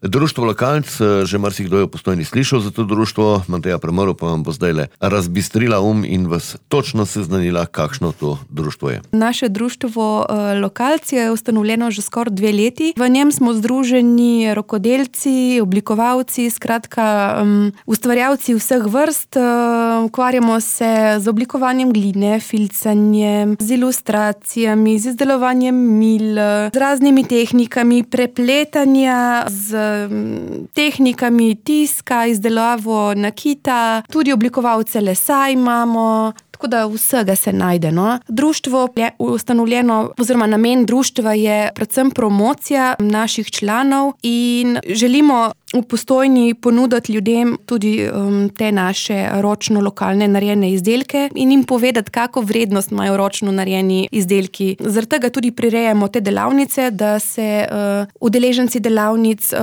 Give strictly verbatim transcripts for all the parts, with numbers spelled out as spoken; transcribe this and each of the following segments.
Društvo Lokalc, že marsikdo je v Postojni slišal za to društvo, Mateja Premrl pa vam bo zdajle razbistrila um in vas točno seznanila, kakšno to društvo je. Naše društvo Lokalc je ustanovljeno že skoraj dve leti. V njem smo združeni rokodelci, oblikovalci, skratka um, ustvarjalci vseh vrst. Ukvarjamo se z oblikovanjem gline, filcanjem, z ilustracijami, z izdelovanjem mil, z raznimi tehnikami prepletanja, z tehnikami tiska, izdelavo nakita, tudi oblikovalce lesa imamo. Tako da vsega se najde, no. Društvo je ustanovljeno, oziroma namen društva je predvsem promocija naših članov in želimo v Postojni ponuditi ljudem tudi um, te naše ročno lokalne narejene izdelke in jim povedati, kako vrednost imajo ročno narejeni izdelki. Zaradi tega tudi prirejamo te delavnice, da se uh, udeleženci delavnic uh,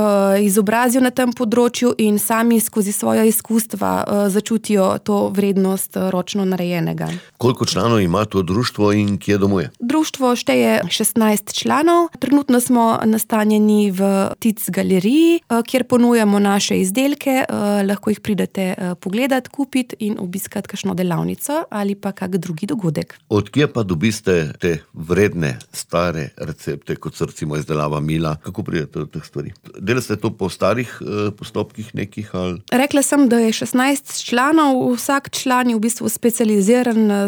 izobrazijo na tem področju in sami skozi svoja izkustva uh, začutijo to vrednost uh, ročno narejenega. Koliko članov ima to društvo in kje domuje? Društvo šteje šestnajst članov. Trenutno smo nastanjeni v Tic galeriji, uh, kjer ponujamo naše izdelke, uh, lahko jih pridete uh, pogledat, kupiti in obiskati kakšno delavnico ali pa kak drugi dogodek. Od kje pa dobiste te vredne, stare recepte, kot so recimo izdelava mila? Kako pridete do teh stvari? Delate to po starih uh, postopkih nekih ali? Rekla sem, da je šestnajst članov, vsak član je v bistvu specializiran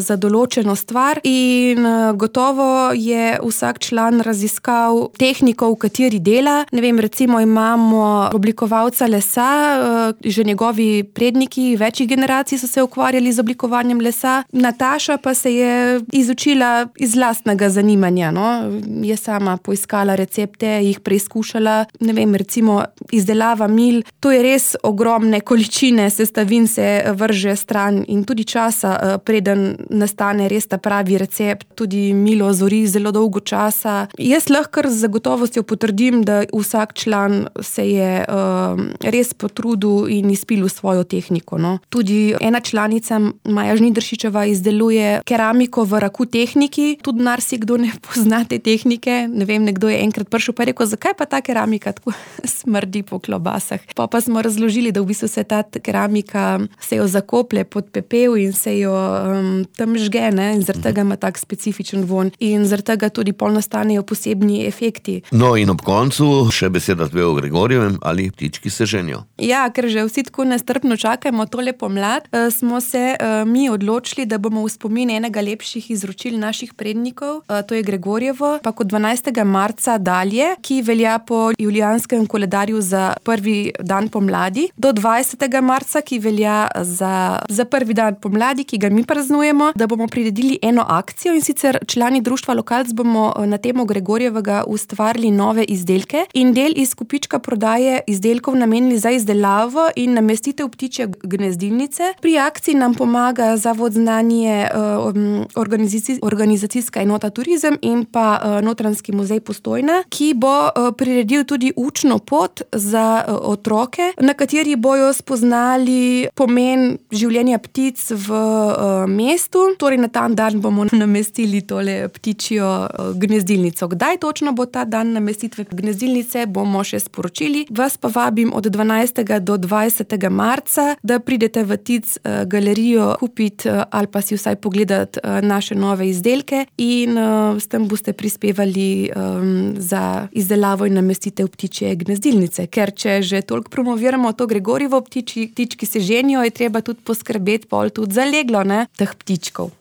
za določeno stvar in uh, gotovo je vsak član raziskal tehniko, v kateri dela. Ne vem, recimo imamo oblikovalca lesa, že njegovi predniki večjih generacij so se ukvarjali z oblikovanjem lesa. Nataša pa se je izučila iz lastnega zanimanja, no. Je sama poiskala recepte, jih preizkušala. Ne vem, recimo izdelava mil, to je res ogromne količine sestavin se vrže stran in tudi časa, preden nastane res ta pravi recept. Tudi milo zori zelo dolgo časa. Jaz lahko z zagotovostjo potrdim, da vsak član se je uh, res potrudil in izpilil svojo tehniko, no. Tudi ena članica, Maja Žnidaršičeva, izdeluje keramiko v raku tehniki. Tudi marsikdo ne pozna te tehnike. Ne vem, nekdo je enkrat prišel pa rekel, zakaj pa ta keramika tako smrdi po klobasah. Pa pa smo razložili, da v bistvu se ta keramika, se jo zakoplje pod pepel in se jo um, tam žge, ne, in zaradi tega ima tak specifičen von. In zaradi tega tudi pol nastanejo posebni efekti. No in ob koncu še beseda dve o Gregorjevem, ali ptički se ženijo. Ja, ker že vsi tako nestrpno čakamo tole pomlad, smo se uh, mi odločili, da bomo v spomin enega lepših izročil naših prednikov, uh, to je Gregorjevo, pa kot dvanajstega marca dalje, ki velja po julijanskem koledarju za prvi dan pomladi, do dvajsetega marca, ki velja za, za prvi dan pomladi, ki ga mi praznujemo, da bomo priredili eno akcijo, in sicer člani društva Lokalc bomo na temo Gregorjevega ustvarili nove izdelke in del iz kupička prodaje izdelkov namenili za izdelavo in namestitev ptičje gnezdilnice. Pri akciji nam pomaga Zavod znanje, organizacijska, organizacijska enota Turizem in pa Notranjski muzej Postojna, ki bo priredil tudi učno pot za otroke, na kateri bojo spoznali pomen življenja ptic v mestu. Torej na ta dan bomo namestili tole ptičjo gnezdilnico. Kdaj točno bo ta dan namestitve gnezdilnice, bomo še sporočili. Vas pa vabim od dvanajstega do dvajsetega marca, da pridete v Tic galerijo kupiti ali pa si vsaj pogledati naše nove izdelke in s tem boste prispevali um, za izdelavo in namestitev ptičje gnezdilnice. Ker če že toliko promoviramo to Gregorjevo ptiči, ptički se ženijo, je treba tudi poskrbeti pol tudi za leglo, ne, teh ptičkov.